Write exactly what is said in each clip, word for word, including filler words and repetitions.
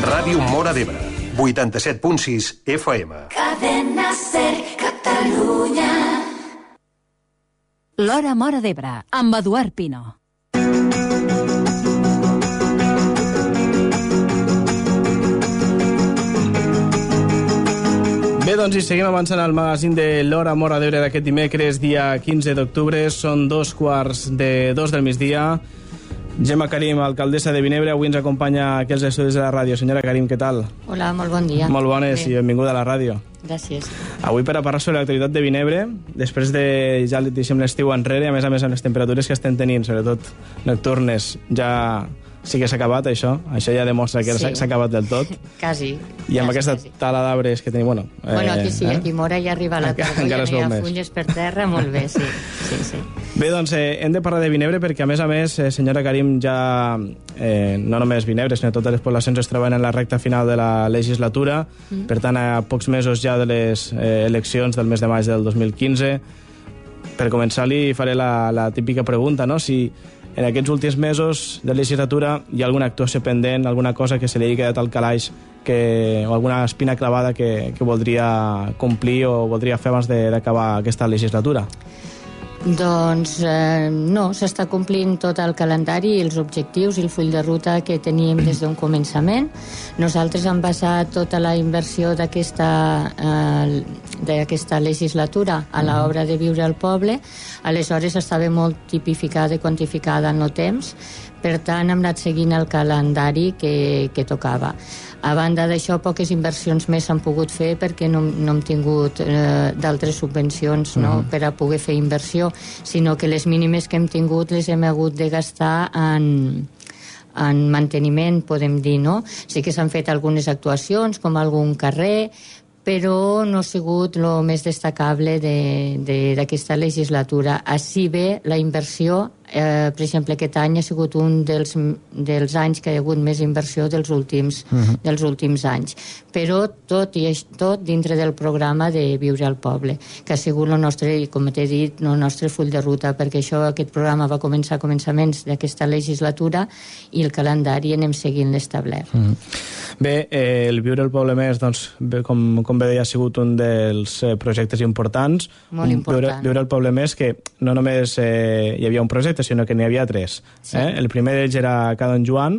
Ràdio Móra d'Ebre, vuitanta-set punt sis F M. Cadena Ser, Catalunya. L'Hora Móra d'Ebre, amb Eduard Pino. Bé, doncs, i seguim avançant al magazín de l'Hora Móra d'Ebre d'aquest dimecres, dia quinze d'octubre. Són dos quarts de dos del migdia. Gemma Karim, alcaldessa de Vinebre, avui ens acompanya aquí als estudis de la ràdio. Senyora Karim, què tal? Hola, molt bon dia. Molt bones. Bé. I benvinguda a la ràdio. Gràcies. Avui per a parlar sobre l'actualitat de Vinebre, després de, ja deixem l'estiu enrere, a més a més amb les temperatures que estem tenint, sobretot nocturnes, ja sí que s'ha acabat això. Això ja demostra que sí. S'ha acabat del tot. Quasi. I amb quasi, aquesta quasi. tala d'arbres que tenim, bueno... Eh, bueno, aquí sí, eh? aquí Mora ja arriba la tardor, ja no hi ha més. fulles per terra, molt bé, sí. sí, sí. Bé, doncs eh, hem de parlar de Vinebre perquè, a més a més, eh, senyora Karim, ja eh, no només Vinebre, sinó totes les poblacions es troben en la recta final de la legislatura, mm. per tant, a pocs mesos ja de les eh, eleccions del mes de maig del dos mil quinze. Per començar, li faré la, la típica pregunta, no?, si en aquests últims mesos de legislatura hi ha alguna actuació pendent, alguna cosa que se li hagi quedat al calaix, que, o alguna espina clavada que, que voldria complir o voldria fer abans d'acabar aquesta legislatura? Doncs eh, no, s'està complint tot el calendari i els objectius i el full de ruta que teníem des d'un començament. Nosaltres hem basat tota la inversió d'aquesta eh, d'aquesta legislatura a l'obra de Viure al Poble. Aleshores estava molt tipificada i quantificada en el temps, per tant hem anat seguint el calendari que, que tocava. A banda d'això, poques inversions més s'han pogut fer perquè no, no hem tingut eh, d'altres subvencions, no, uh-huh. per a poder fer inversió, sinó que les mínimes que hem tingut les hem hagut de gastar en, en manteniment, podem dir, no? Sí que s'han fet algunes actuacions, com algun carrer, però no ha sigut el més destacable d'aquesta de, de, legislatura. Així bé, la inversió, eh, per exemple, aquest any ha sigut un dels, dels anys que hi ha hagut més inversió dels últims, uh-huh. dels últims anys. Però tot, i tot dintre del programa de Viure al Poble, que ha sigut el nostre, com t'he dit, el nostre full de ruta, perquè això, aquest programa va començar a començaments d'aquesta legislatura i el calendari anem seguint l'establert. Uh-huh. Bé, eh, el Viure al Poble Més, doncs, bé, com, com bé deia, ha sigut un dels eh, projectes importants. Molt important. Viure, Viure al Poble Més, que no només eh, hi havia un projecte, sinó que n'hi havia tres. Sí. Eh? El primer d'ells era Ca Don Joan.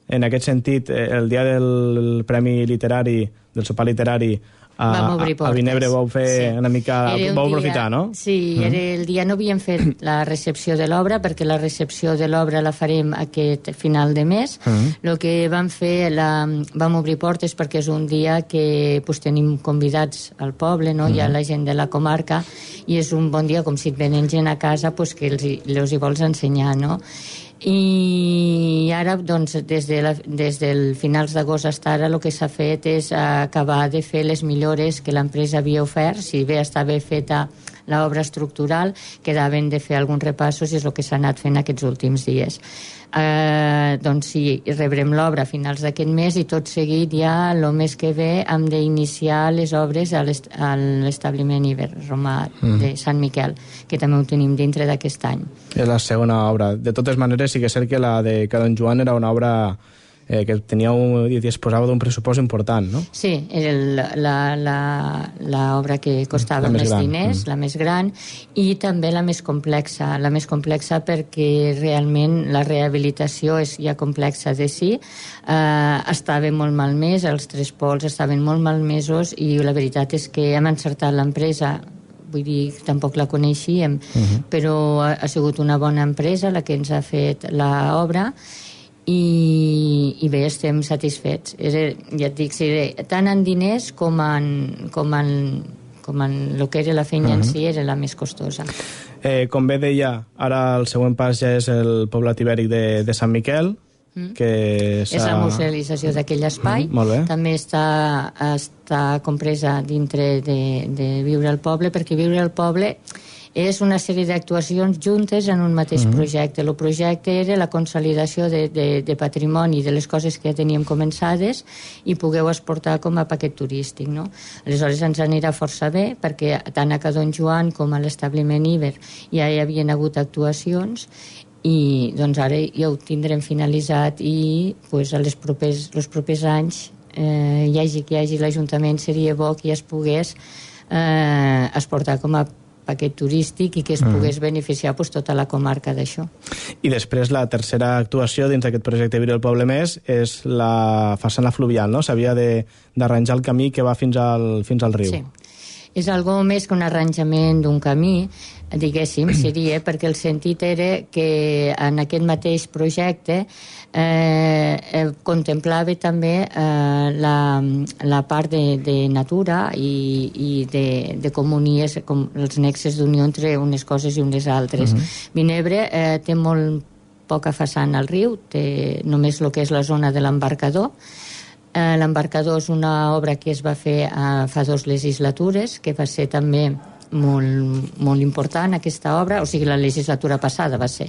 En aquest sentit, eh, el dia del Premi Literari, del sopar literari, a, a Vinebre vau fer sí. una mica... Un vau aprofitar, dia, no? Sí, mm. era el dia no havíem fet la recepció de l'obra, perquè la recepció de l'obra la farem aquest final de mes. Mm. El que vam fer, la, vam obrir portes perquè és un dia que pues, tenim convidats al poble, no? Mm. Hi ha la gent de la comarca, i és un bon dia, com si et venen gent a casa, pues, que els, els hi vols ensenyar, no? I ara, doncs, des, de la, des del finals d'agost fins ara el que s'ha fet és acabar de fer les millores que l'empresa havia ofert. Si bé estava feta l'obra estructural, quedaven de fer alguns repassos i és el que s'ha anat fent aquests últims dies. Eh, doncs sí, rebrem l'obra a finals d'aquest mes i tot seguit ja el mes que ve hem d'iniciar les obres a l'establiment Iber Romà mm. de Sant Miquel, que també ho tenim dintre d'aquest any. És la segona obra. De totes maneres, sí que és cert que la de Ca Don Joan era una obra eh, que tenia un, i disposava d'un pressupost important, no? Sí, era l'obra que costava més, més diners, mm. la més gran, i també la més complexa, la més complexa perquè realment la rehabilitació és ja complexa de si, eh, estava molt malmès, els tres pols estaven molt malmesos i la veritat és que hem encertat l'empresa. Vull dir, tampoc la coneixíem, uh-huh. però ha, ha sigut una bona empresa la que ens ha fet l'obra. I, i bé, estem satisfets. Era, ja et dic, sí, tant en diners com en, com en, com en el que era la feina uh-huh. en si era la més costosa. Eh, com bé deia, ara el següent pas ja és el poblat ibèric de, de Sant Miquel, mm. que és la musealització d'aquell espai. Mm, també està, està compresa dintre de, de Viure al Poble, perquè Viure al Poble és una sèrie d'actuacions juntes en un mateix mm. projecte. El projecte era la consolidació de, de, de patrimoni, de les coses que ja teníem començades i pogueu exportar com a paquet turístic, no? Aleshores ens anirà força bé perquè tant a Ca Don Joan com a l'establiment Iber ja hi havien hagut actuacions i doncs ara ja ho tindrem finalitzat i pues, a les propers, els propers anys eh, hi hagi que hi hagi l'Ajuntament, seria bo que ja es pogués eh, exportar com a paquet turístic i que es pogués mm. beneficiar pues, tota la comarca d'això. I després la tercera actuació dins d'aquest projecte Viure el Poble Més és la façana fluvial, no? S'havia d'arranjar el camí que va fins al, fins al riu. Sí. És algo més que un arranjament d'un camí, diguéssim, seria, perquè el sentit era que en aquest mateix projecte eh, eh, contemplava també eh, la, la part de, de natura i, i de, de comunies, com els nexes d'unió entre unes coses i unes altres. Uh-huh. Vinebre eh, té molt poca façana al riu, té només el que és la zona de l'embarcador. Eh, L'embarcador és una obra que es va fer eh, fa dues legislatures, que va ser també molt, molt important, aquesta obra, o sigui, la legislatura passada va ser.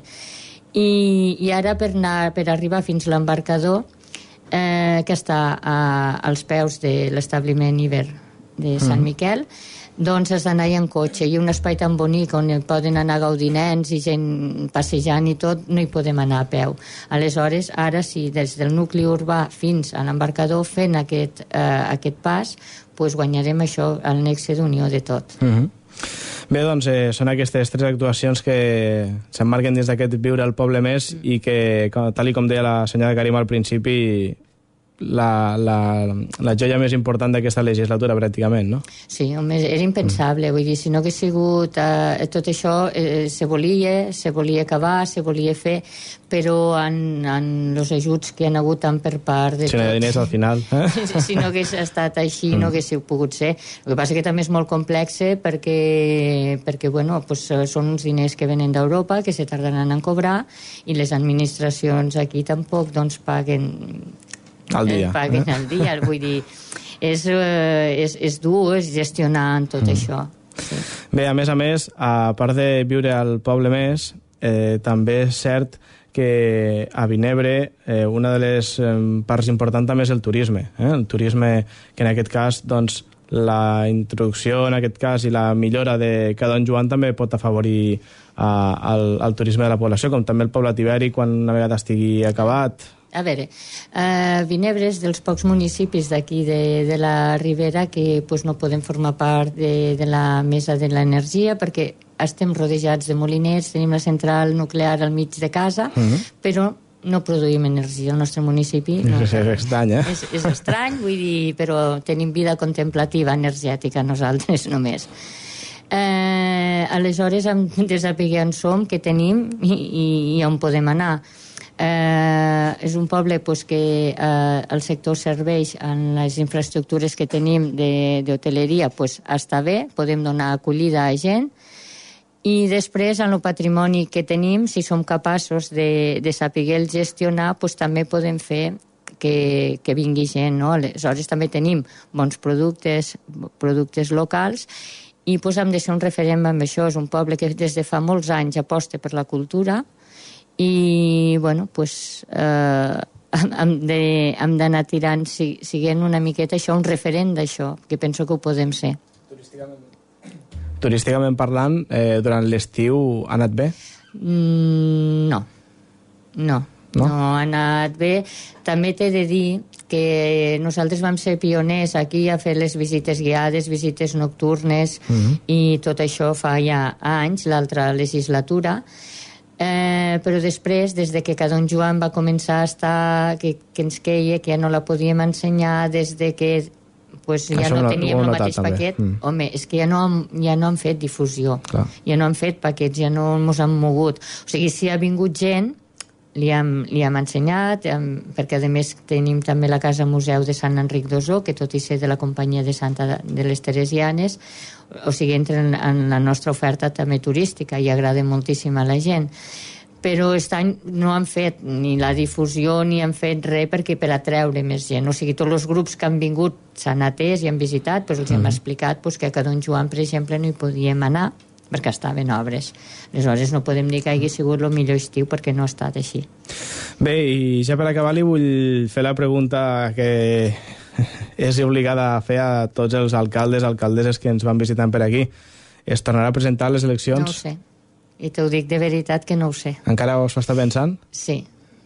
I, i ara, per, anar, per arribar fins a l'embarcador, eh, que està a, als peus de l'establiment Iber de Sant Miquel, doncs has d'anar en cotxe, i un espai tan bonic on poden anar a gaudir nens i gent passejant i tot, no hi podem anar a peu. Aleshores, ara sí, des del nucli urbà fins a l'embarcador fent aquest, eh, aquest pas, pues guanyarem això, el nexe d'unió de tot. Uh-huh. Bé, doncs eh, són aquestes tres actuacions que s'emmarquen dins d'aquest Viure al Poble Més i que, tal i com deia la senyora Karim al principi, La, la, la joia més important d'aquesta legislatura, pràcticament, no? Sí, home, era impensable, mm. vull dir, si no hagués sigut eh, tot això, eh, se volia, se volia acabar, se volia fer, però en, en els ajuts que han hagut tant per part de si no hi ha diners al final, eh? si, si no hagués estat així, mm. no haguéssiu pogut ser. El que passa que també és molt complex perquè, perquè bueno, pues, són uns diners que venen d'Europa, que se tardaran en cobrar, i les administracions aquí tampoc doncs paguen al dia. Paguen eh? al dia, vull dir, és, és, és dur és gestionar tot mm. això. Sí. Bé, a més a més, a part de Viure al Poble Més, eh, també és cert que a Vinebre eh, una de les eh, parts importants també és el turisme. Eh? El turisme que en aquest cas, doncs, la introducció en aquest cas i la millora de cada Don Joan també pot afavorir a, al, al turisme de la població, com també el poblat ibèric quan una vegada estigui acabat. A veure, eh, Vinebre és dels pocs municipis d'aquí de, de la Ribera que pues, no podem formar part de, de la mesa de l'energia perquè estem rodejats de moliners, tenim la central nuclear al mig de casa, uh-huh. però no produïm energia al nostre municipi. No, és estrany, eh? És, és estrany, vull dir, però tenim vida contemplativa energètica nosaltres només. Eh, aleshores hem de saber on som, què tenim i, i, i on podem anar. Eh, és un poble pues, que eh, el sector serveix en les infraestructures que tenim d'hoteleria, pues, està bé, podem donar acollida a gent, i després en el patrimoni que tenim, si som capaços de, de saber gestionar, pues, també podem fer que, que vingui gent, no? Aleshores també tenim bons productes, productes locals, i pues, hem de ser un referent amb això. És un poble que des de fa molts anys aposta per la cultura, i bueno, pues, eh, hem d'anar tirant, si, siguent una miqueta això, un referent d'això, que penso que ho podem ser. Turísticament, Turísticament parlant, eh, durant l'estiu ha anat bé? Mm, no. no, no, no ha anat bé. També t'he de dir que nosaltres vam ser pioners aquí a fer les visites guiades, visites nocturnes, mm-hmm. i tot això fa ja anys, l'altra legislatura. Eh, però després, des de que cada Don Joan va començar a estar, que, que ens queia, que ja no la podíem ensenyar, des de que pues, ja això no no, teníem el mateix també. paquet, mm. home, és que ja no, ja no han fet difusió. Clar. Ja no han fet paquets, ja no ens han mogut. O sigui, si ha vingut gent, li hem, li hem ensenyat, hem, perquè a més tenim també la Casa Museu de Sant Enric d'Osó, que tot i ser de la companyia de Santa de les Teresianes, o sigui, entra en, en la nostra oferta també turística i agrada moltíssim a la gent. Però aquest any no han fet ni la difusió ni han fet res perquè per atreure més gent. O sigui, tots els grups que han vingut s'han atès i han visitat, doncs els mm. hem explicat pues, que a Don Joan, per exemple, no hi podíem anar perquè estaven obres. Aleshores no podem dir que hagi sigut el millor estiu perquè no ha estat així. Bé, i ja per acabar li vull fer la pregunta que és obligada a fer a tots els alcaldes, alcaldesses que ens van visitant per aquí. Es tornarà a presentar les eleccions? No ho sé. I t'ho dic de veritat que no ho sé. Encara ho està pensant? Sí,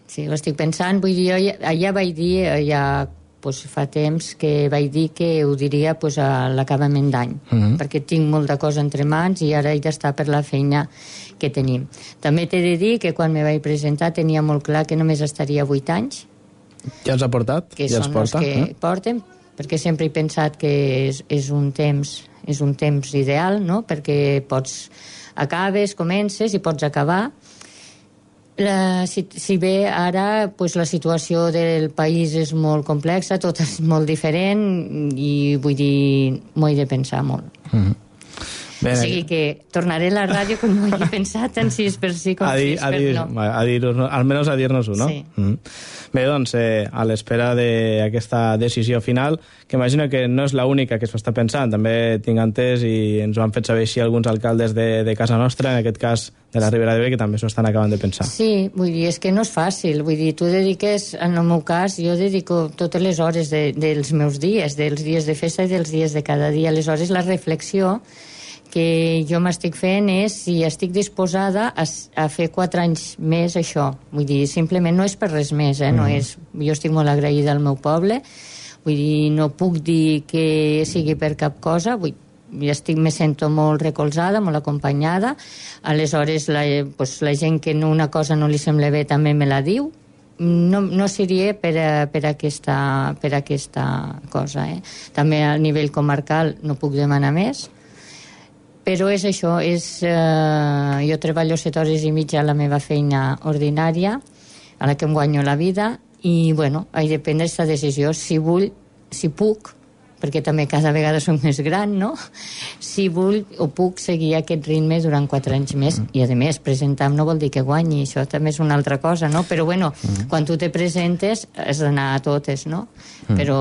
sí, ho estic pensant. Vull dir, jo ja, ja vaig dir, ja pues, fa temps que vaig dir que ho diria pues, a l'acabament d'any, uh -huh. perquè tinc molta cosa entre mans i ara he d'estar per la feina que tenim. També t'he de dir que quan me vaig presentar tenia molt clar que només estaria vuit anys. Ja els ha portat? Que ja són els porta, els que eh? porten, perquè sempre he pensat que és, és un temps és un temps ideal, no? Perquè pots acabes, comences i pots acabar. La, si, si bé ara pues, la situació del país és molt complexa, tot és molt diferent i vull dir, m'ho he de pensar molt. Mm-hmm. Bé, o sigui que tornaré a la ràdio com m'ho he pensat, tant si és per sí com a dir, si és a per dir, no. A dir, almenys a dir-nos-ho, no? Sí. Mm. Bé, doncs, eh, a l'espera d'aquesta decisió final, que imagino que no és l'única que s'ho està pensant, també tinc entès i ens ho han fet saber així alguns alcaldes de, de casa nostra, en aquest cas de la Ribera d'Ebre, que també s'ho estan acabant de pensar. Sí, vull dir, és que no és fàcil, vull dir, tu dediques, en el meu cas, jo dedico totes les hores de, dels meus dies, dels dies de festa i dels dies de cada dia, aleshores la reflexió que jo m'estic fent és si estic disposada a, a fer quatre anys més això. Vull dir, simplement no és per res més, eh? No mm. és, jo estic molt agraïda al meu poble, vull dir, no puc dir que sigui per cap cosa, vull, jo estic, me sento molt recolzada, molt acompanyada, aleshores la, pues, la gent que una cosa no li sembla bé també me la diu, no, no seria per, a, per, aquesta, per aquesta cosa, eh? També a nivell comarcal no puc demanar més, però és això, és, eh, jo treballo set hores i mitja a la meva feina ordinària, a la que em guanyo la vida, i, bueno, he de prendre aquesta decisió, si vull, si puc, perquè també cada vegada soc més gran, no? Si vull o puc seguir aquest ritme durant quatre anys més, mm. i, a més, presentar no vol dir que guanyi, això també és una altra cosa, no? Però, bueno, mm. quan tu te presentes, has d'anar a totes, no? Mm. Però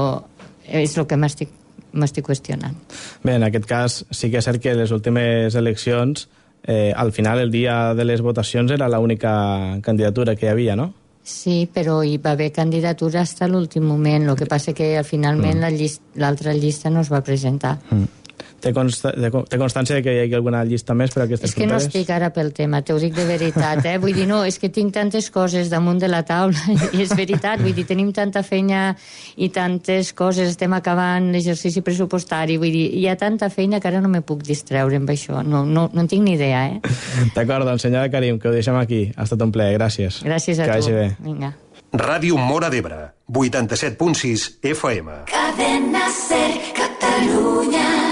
és el que m'estic m'estic qüestionant. Bé, en aquest cas sí que és cert que les últimes eleccions, eh, al final, el dia de les votacions, era l'única candidatura que hi havia, no? Sí, però hi va haver candidatura fins a l'últim moment, el que passa que finalment mm. l'altra llista no es va presentar. Mm. Té, consta té constància que hi hagi alguna llista més per a aquestes És que properes? no estic ara pel tema, t'ho dic de veritat, eh? Vull dir, no, és que tinc tantes coses damunt de la taula, i és veritat, vull dir, tenim tanta feina i tantes coses, estem acabant l'exercici pressupostari, vull dir, hi ha tanta feina que ara no me puc distreure amb això, no, no, no en tinc ni idea, eh? D'acord, doncs, senyora Karim, que ho deixem aquí. Ha estat un plaer, gràcies. Gràcies a que tu. vagi bé. Vinga. Ràdio Móra d'Ebre, vuitanta-set punt sis F M. Cadena Ser, Catalunya.